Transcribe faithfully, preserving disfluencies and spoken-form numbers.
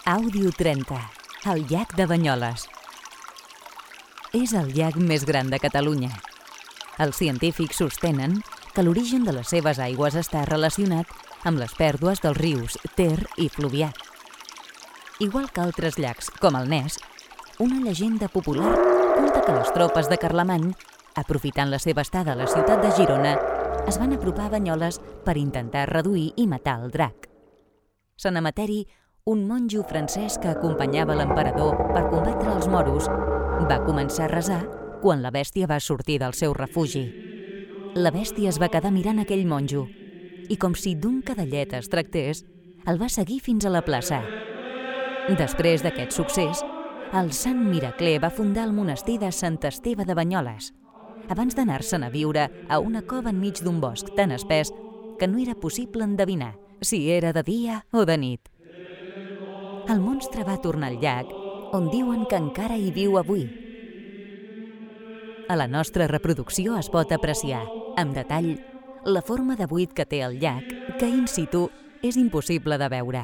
Àudio trenta, el llac de Banyoles. És el llac més gran de Catalunya. Els científics sostenen que l'origen de les seves aigües està relacionat amb les pèrdues dels rius Ter i Fluvià. Igual que altres llacs, com el Ness, una llegenda popular conta que les tropes de Carlemany, aprofitant la seva estada a la ciutat de Girona, es van apropar a Banyoles per intentar reduir i matar el drac. Sant Emeteri, un monjo francès que acompanyava l'emperador per combatre els moros, va començar a resar quan la bèstia va sortir del seu refugi. La bèstia es va quedar mirant aquell monjo i, com si d'un cadellet es tractés, el va seguir fins a la plaça. Després d'aquest succés, el sant Miracler va fundar el monestir de Sant Esteve de Banyoles, abans d'anar-se'n a viure a una cova enmig d'un bosc tan espès que no era possible endevinar si era de dia o de nit. El monstre va tornar al llac, on diuen que encara hi viu avui. A la nostra reproducció es pot apreciar, amb detall, la forma de buit que té el llac, que in situ és impossible de veure.